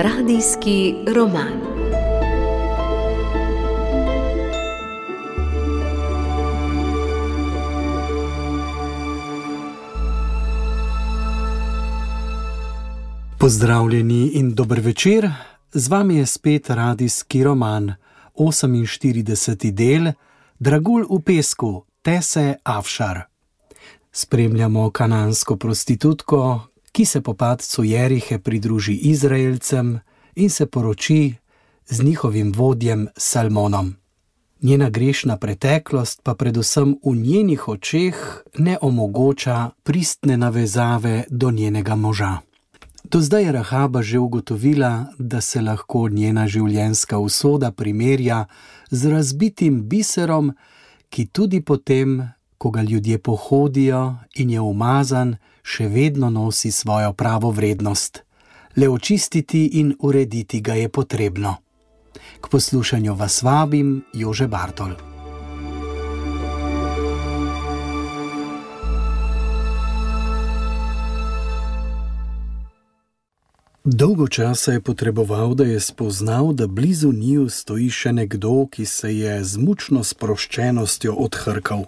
Radijski roman. Pozdravljeni in dober večer, z vami je spet radijski roman, 48. del, Dragulj v pesku, Tese Afšar. Spremljamo kanansko prostitutko, ki se po padcu Jerihe pridruži Izraelcem in se poroči z njihovim vodjem Salmonom. Njena grešna preteklost pa predvsem v njenih očeh ne omogoča pristne navezave do njenega moža. Do zdaj je Rahaba že ugotovila, da se lahko njena življenjska usoda primerja z razbitim biserom, ki tudi potem, ko ga ljudje pohodijo in je umazan, še vedno nosi svojo pravo vrednost. Le očistiti in urediti ga je potrebno. K poslušanju vas vabim, Jože Bartol. Dolgo časa je potreboval, da je spoznal, da blizu njiju stoji še nekdo, ki se je z mučno sproščenostjo odhrkal.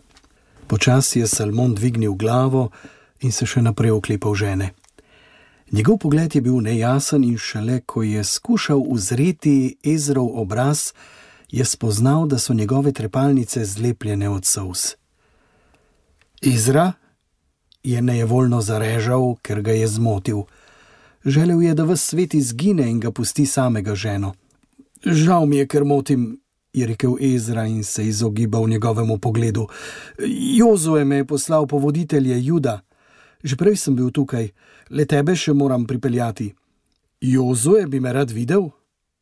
Počasi je Salmon dvignil glavo in se še naprej oklepal žene. Njegov pogled je bil nejasen in šele, ko je skušal uzreti Ezrov obraz, je spoznal, da so njegove trepalnice zlepljene od solz. Ezra je nejevoljno zarežal, ker ga je zmotil. Želel je, da ves svet izgine in ga pusti samega ženo. Žal mi je, ker motim, je rekel Ezra in se izogibal njegovemu pogledu. Jozue me je poslal po voditelje Juda. Že prej sem bil tukaj, le tebe še moram pripeljati. Jozue bi me rad videl?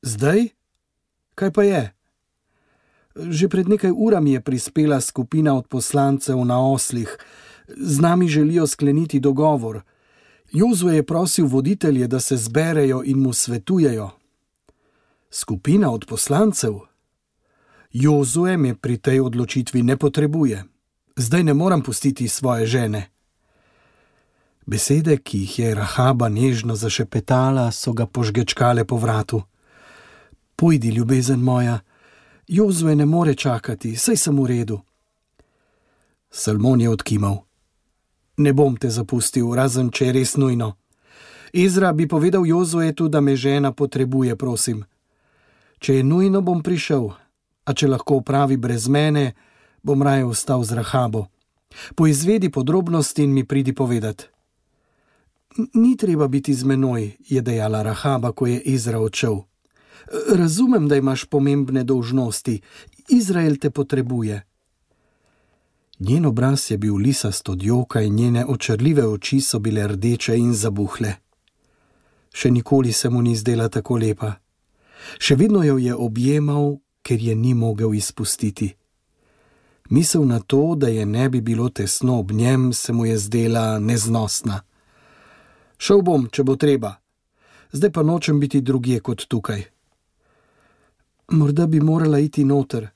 Zdaj? Kaj pa je? Že pred nekaj urami je prispela skupina od poslancev na oslih. Z nami želijo skleniti dogovor. Jozue je prosil voditelje, da se zberejo in mu svetujejo. Skupina od poslancev? Jozue me pri tej odločitvi ne potrebuje. Zdaj ne moram pustiti svoje žene. Besede, ki jih je Rahaba nežno zašepetala, so ga požgečkale po vratu. Pojdi, ljubezen moja, Jozue ne more čakati, saj sem v redu. Salmon je odkimal. Ne bom te zapustil, razen če je res nujno. Ezra bi povedal Jozuetu, da me žena potrebuje, prosim. Če je nujno, bom prišel, a če lahko opravi brez mene, bom raje ostal z Rahabo. Poizvedi podrobnosti in mi pridi povedat. Ni treba biti z menoj, je dejala Rahaba, ko je Ezra odšel. Razumem, da imaš pomembne dolžnosti. Izrael te potrebuje. Njen obraz je bil lisast od joka in njene očarljive oči so bile rdeče in zabuhle. Še nikoli se mu ni zdela tako lepa. Še vedno jo je objemal, ker je ni mogel izpustiti. Misel na to, da je ne bi bilo tesno ob njem, se mu je zdela neznosna. Šel bom, če bo treba. Zdaj pa nočem biti drugje kot tukaj. Morda bi morala iti noter.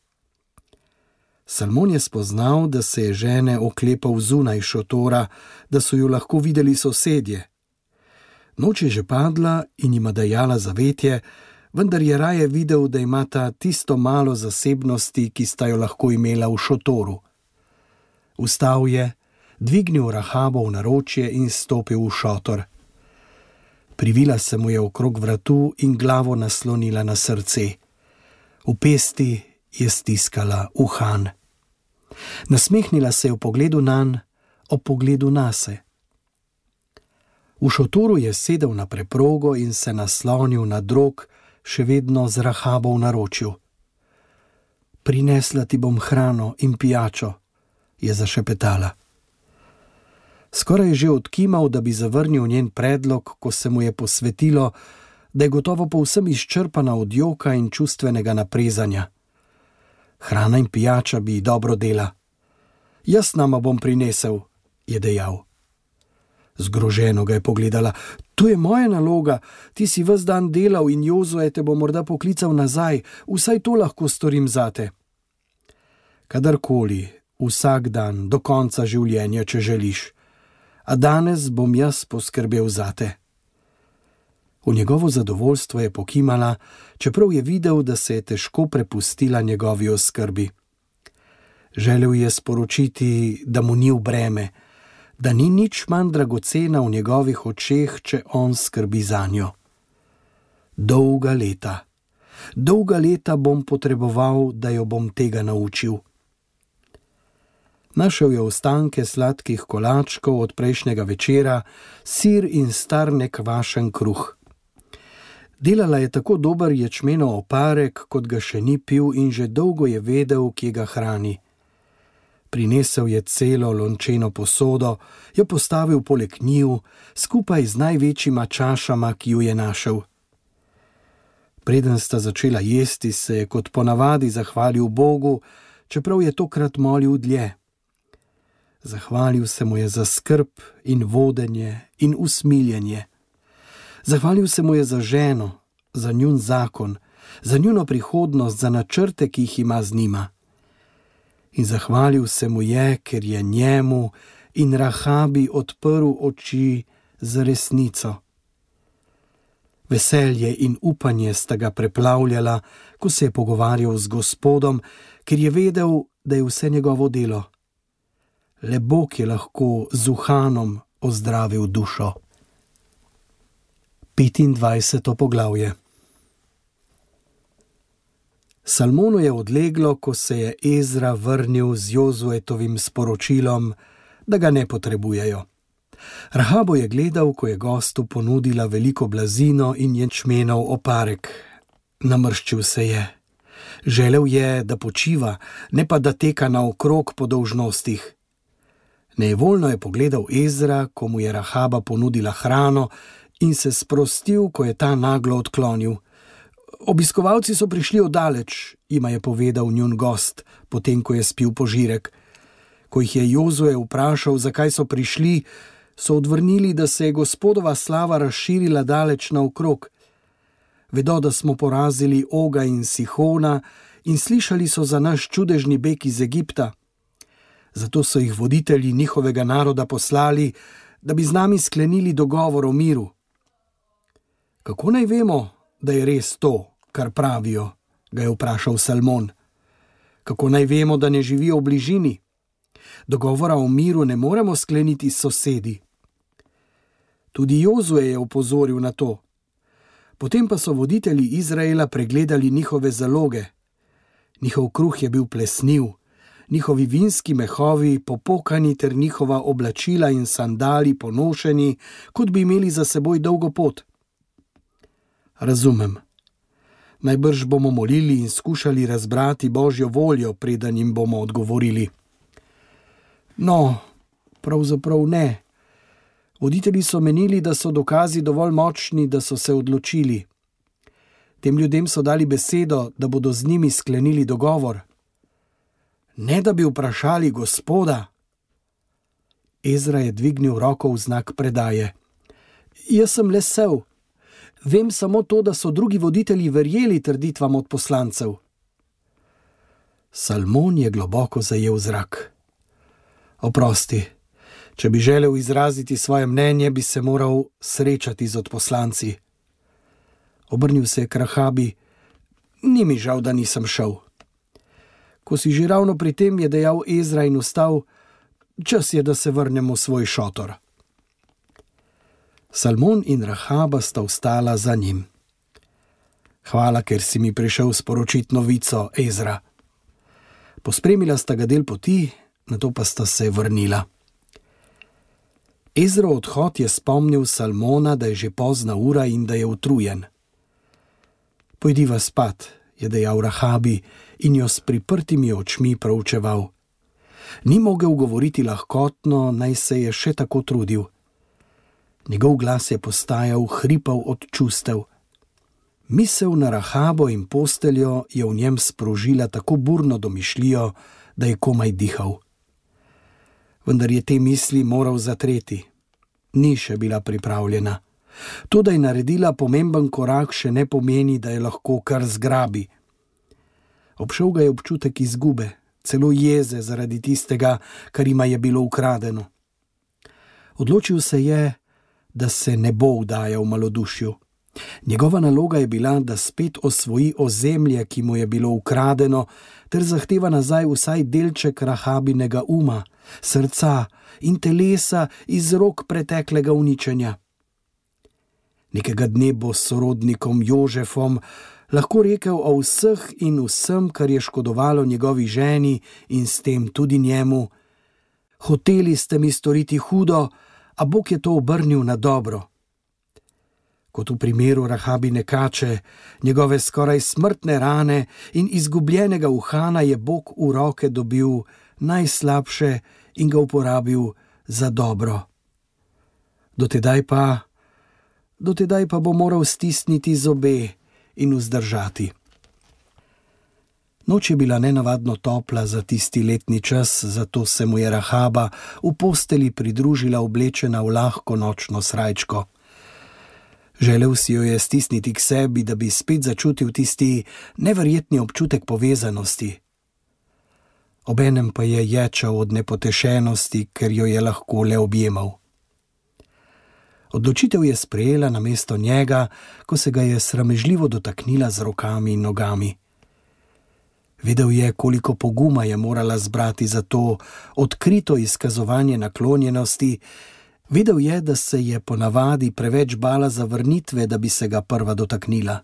Salmon je spoznal, da se je žene oklepal zunaj šotora, da so ju lahko videli sosedje. Noč je že padla in jima dajala zavetje, vendar je raje videl, da imata tisto malo zasebnosti, ki sta jo lahko imela v šotoru. Vstal je, dvignil Rahabo v naročje in stopil v šotor. Privila se mu je okrog vratu in glavo naslonila na srce. V pesti je stiskala uhan. Nasmehnila se je v pogledu nanj, ob pogledu nase. V šotoru je sedel na preprogo in se naslonil na drog, še vedno z Rahabo v naročju. Prinesla ti bom hrano in pijačo, je zašepetala. Skoraj je že odkimal, da bi zavrnil njen predlog, ko se mu je posvetilo, da je gotovo povsem izčrpana od joka in čustvenega naprezanja. Hrana in pijača bi dobro dela. Jaz nama bom prinesel, je dejal. Zgroženo ga je pogledala. To je moja naloga, ti si ves dan delal in Jozue te bo morda poklical nazaj, vsaj to lahko storim zate. Kadarkoli, vsak dan, do konca življenja, če želiš. A danes bom jaz poskrbel zate. V njegovo zadovoljstvo je pokimala, čeprav je videl, da se je težko prepustila njegovi oskrbi. Želel je sporočiti, da mu ni v breme, da ni nič manj dragocena v njegovih očeh, če on skrbi zanjo. Dolga leta bom potreboval, da jo bom tega naučil. Našel je ostanke sladkih kolačkov od prejšnjega večera, sir in star nekvašen kruh. Delala je tako dober ječmenov oparek, kot ga še ni pil, in že dolgo je vedel, kje ga hrani. Prinesel je celo lončeno posodo, jo postavil poleg njiju, skupaj z največjima čašama, ki ju je našel. Preden sta začela jesti, se je kot ponavadi zahvalil Bogu, čeprav je tokrat molil dlje. Zahvalil se mu je za skrb in vodenje in usmiljenje. Zahvalil se mu je za ženo, za njun zakon, za njuno prihodnost, za načrte, ki jih ima z njima. In zahvalil se mu je, ker je njemu in Rahabi odprl oči za resnico. Veselje in upanje sta ga preplavljala, ko se je pogovarjal z Gospodom, ker je vedel, da je vse njegovo delo. Le Bog je lahko z uhanom ozdravil dušo. 25. poglavje. Salmonu je odleglo, ko se je Ezra vrnil z Jozuetovim sporočilom, da ga ne potrebujejo. Rahabo je gledal, ko je gostu ponudila veliko blazino in ječmenov oparek. Namrščil se je. Želel je, da počiva, ne pa da teka naokrog po dolžnostih. Nejevoljno je pogledal Ezra, ko mu je Rahaba ponudila hrano, in se sprostil, ko je ta naglo odklonil. Obiskovalci so prišli oddaleč, jima je povedal njun gost, potem ko je spil požirek. Ko jih je Jozue vprašal, zakaj so prišli, so odvrnili, da se je Gospodova slava razširila daleč naokrog. Vedo, da smo porazili Oga in Sihona in slišali so za naš čudežni beg iz Egipta. Zato so jih voditelji njihovega naroda poslali, da bi z nami sklenili dogovor o miru. Kako naj vemo, da je res to, kar pravijo, ga je vprašal Salmon. Kako naj vemo, da ne živijo v bližini? Dogovora o miru ne moremo skleniti s sosedi. Tudi Jozue je opozoril na to. Potem pa so voditelji Izraela pregledali njihove zaloge. Njihov kruh je bil plesniv, njihovi vinski mehovi popokani ter njihova oblačila in sandali ponošeni, kot bi imeli za seboj dolgo pot. Razumem. Najbrž bomo molili in skušali razbrati Božjo voljo, preden jim bomo odgovorili. No, pravzaprav ne. Voditelji so menili, da so dokazi dovolj močni, da so se odločili. Tem ljudem so dali besedo, da bodo z njimi sklenili dogovor. Ne da bi vprašali Gospoda. Ezra je dvignil roko v znak predaje. Jaz sem le sev. Vem samo to, da so drugi voditelji verjeli trditvam od poslancev. Salmon je globoko zajel zrak. Oprosti, če bi želel izraziti svoje mnenje, bi se moral srečati z odposlanci. Obrnil se je k Rahabi. Ni mi žal, da nisem šel. Ko si že ravno pri tem, je dejal Ezra in vstal, čas je, da se vrnemo v svoj šotor. Salmon in Rahaba sta vstala za njim. Hvala, ker si mi prišel sporočiti novico, Ezra. Pospremila sta ga del poti, nato pa sta se vrnila. Ezrov odhod je spomnil Salmona, da je že pozna ura in da je utrujen. Pojdiva spat, je dejal Rahabi in jo s priprtimi očmi proučeval. Ni mogel govoriti lahkotno, naj se je še tako trudil. Njegov glas je postajal hripav od čustev. Misel na Rahabo in posteljo je v njem sprožila tako burno domišljijo, da je komaj dihal. Vendar je te misli moral zatreti. Ni še bila pripravljena. To, da je naredila pomemben korak, še ne pomeni, da je lahko kar zgrabi. Obšel ga je občutek izgube, celo jeze zaradi tistega, kar jima je bilo ukradeno. Odločil se je, da se ne bo vdajal malodušju. Njegova naloga je bila, da spet osvoji ozemlje, ki mu je bilo ukradeno, ter zahteva nazaj vsaj delček Rahabinega uma, srca in telesa iz rok preteklega uničenja. Nekega dne bo s sorodnikom Jožefom lahko rekel o vseh in vsem, kar je škodovalo njegovi ženi in s tem tudi njemu: hoteli ste mi storiti hudo, a Bog je to obrnil na dobro. Kot v primeru Rahabine kače, njegove skoraj smrtne rane in izgubljenega uhana je Bog v roke dobil najslabše in ga uporabil za dobro. Dotedaj pa bo moral stisniti zobe in vzdržati. Noč je bila nenavadno topla za tisti letni čas, zato se mu je Rahaba v posteli pridružila oblečena v lahko nočno srajčko. Želel si jo je stisniti k sebi, da bi spet začutil tisti neverjetni občutek povezanosti. Obenem pa je ječal od nepotešenosti, ker jo je lahko le objemal. Odločitev je sprejela namesto njega, ko se ga je sramežljivo dotaknila z rokami in nogami. Vedel je, koliko poguma je morala zbrati za to odkrito izkazovanje naklonjenosti. Vedel je, da se je ponavadi preveč bala zavrnitve, da bi se ga prva dotaknila.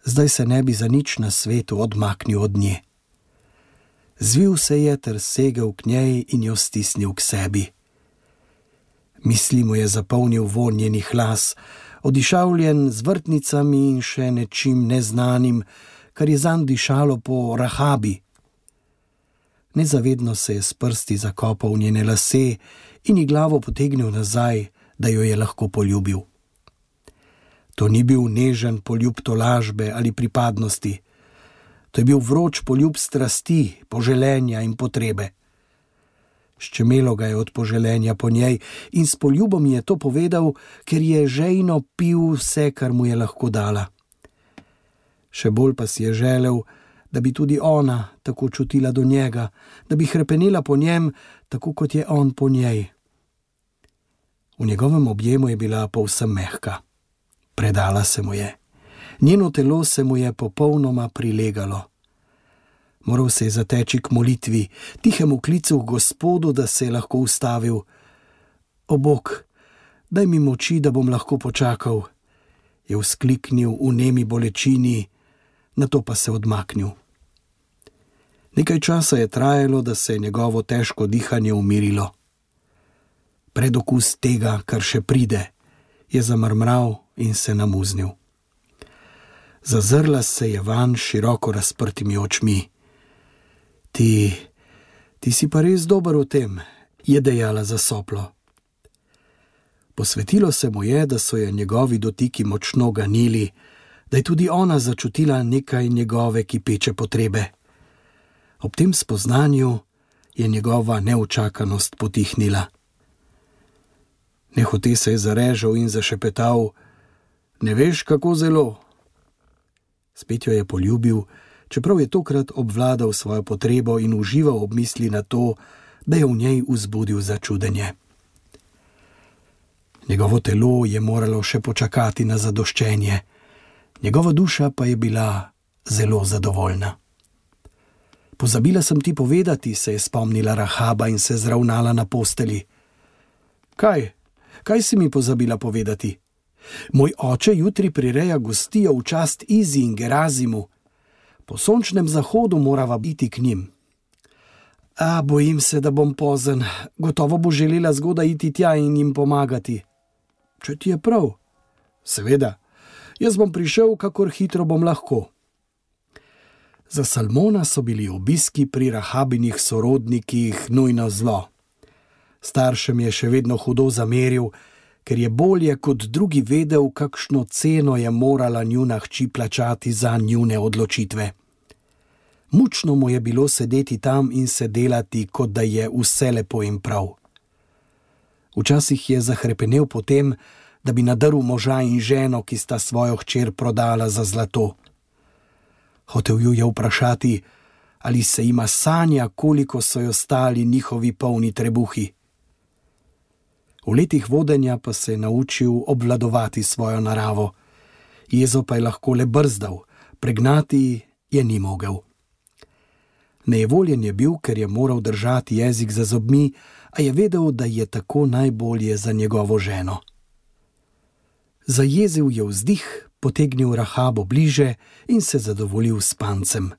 Zdaj se ne bi za nič na svetu odmaknil od nje. Zvil se je ter segel k njej in jo stisnil k sebi. Misli mu je zapolnil vonj njenih las, odišavljen z vrtnicami in še nečim neznanim, kar je zanj dišalo po Rahabi. Nezavedno se je s prsti zakopal v njene lase in ji glavo potegnil nazaj, da jo je lahko poljubil. To ni bil nežen poljub tolažbe ali pripadnosti. To je bil vroč poljub strasti, poželenja in potrebe. Ščemelo ga je od poželenja po njej in s poljubom je to povedal, ker je žejno pil vse, kar mu je lahko dala. Še bolj pa si je želel, da bi tudi ona tako čutila do njega, da bi hrepenela po njem, tako kot je on po njej. V njegovem objemu je bila povsem mehka. Predala se mu je. Njeno telo se mu je popolnoma prilegalo. Moral se je zateči k molitvi, tihemu klicu k Gospodu, da se je lahko ustavil. O Bog, daj mi moči, da bom lahko počakal, je vzkliknil v nemi bolečini, nato pa se odmaknil. Nekaj časa je trajalo, da se je njegovo težko dihanje umirilo. Predokus tega, kar še pride, je zamrmral in se namuznil. Zazrla se je vanj široko razprtimi očmi. Ti si pa res dober v tem, je dejala zasoplo. Posvetilo se mu je, da so je njegovi dotiki močno ganili, da je tudi ona začutila nekaj njegove kipeče potrebe. Ob tem spoznanju je njegova neučakanost potihnila. Nehote se je zarežal in zašepetal: ne veš, kako zelo. Spet jo je poljubil, čeprav je tokrat obvladal svojo potrebo in užival ob misli na to, da je v njej vzbudil začudenje. Njegovo telo je moralo še počakati na zadoščenje, njegova duša pa je bila zelo zadovoljna. Pozabila sem ti povedati, se je spomnila Rahaba in se zravnala na posteli. Kaj si mi pozabila povedati? Moj oče jutri prireja gostijo v čast Izi in Gerazimu. Po sončnem zahodu morava biti k njim. Bojim se, da bom pozen. Gotovo bo želela zgodaj iti tja in jim pomagati. Če ti je prav? Seveda. Jaz bom prišel, kakor hitro bom lahko. Za Salmona so bili obiski pri Rahabinih sorodnikih nujno zlo. Staršem je še vedno hudo zameril, ker je bolje kot drugi vedel, kakšno ceno je morala njuna hči plačati za njune odločitve. Mučno mu je bilo sedeti tam in se delati, kot da je vse lepo in prav. Včasih je zahrepenel po tem, da bi nadrl moža in ženo, ki sta svojo hčer prodala za zlato. Hotel ju je vprašati, ali se ima sanja, koliko so jo stali njihovi polni trebuhi. V letih vodenja pa se je naučil obvladovati svojo naravo. Jezo pa je lahko le brzdal, pregnati je ni mogel. Nejevoljen je bil, ker je moral držati jezik za zobmi, a je vedel, da je tako najbolje za njegovo ženo. Zajezil je vzdih, potegnil Rahabo bliže in se zadovoljil s spancem.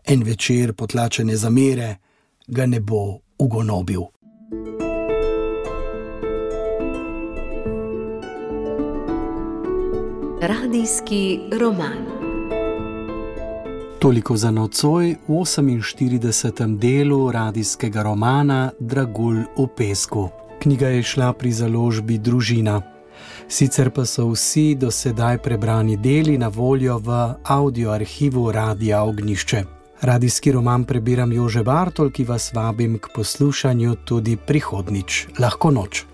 En večer potlačene zamere ga ne bo ugonobil. Radijski roman. Toliko za nocoj v 48. delu radijskega romana Dragulj v pesku. Knjiga je šla pri založbi Družina. Sicer pa so vsi do sedaj prebrani deli na voljo v audio arhivu Radia Ognjišče. Radijski roman prebiram Jože Bartol, ki vas vabim k poslušanju tudi prihodnjič. Lahko noč.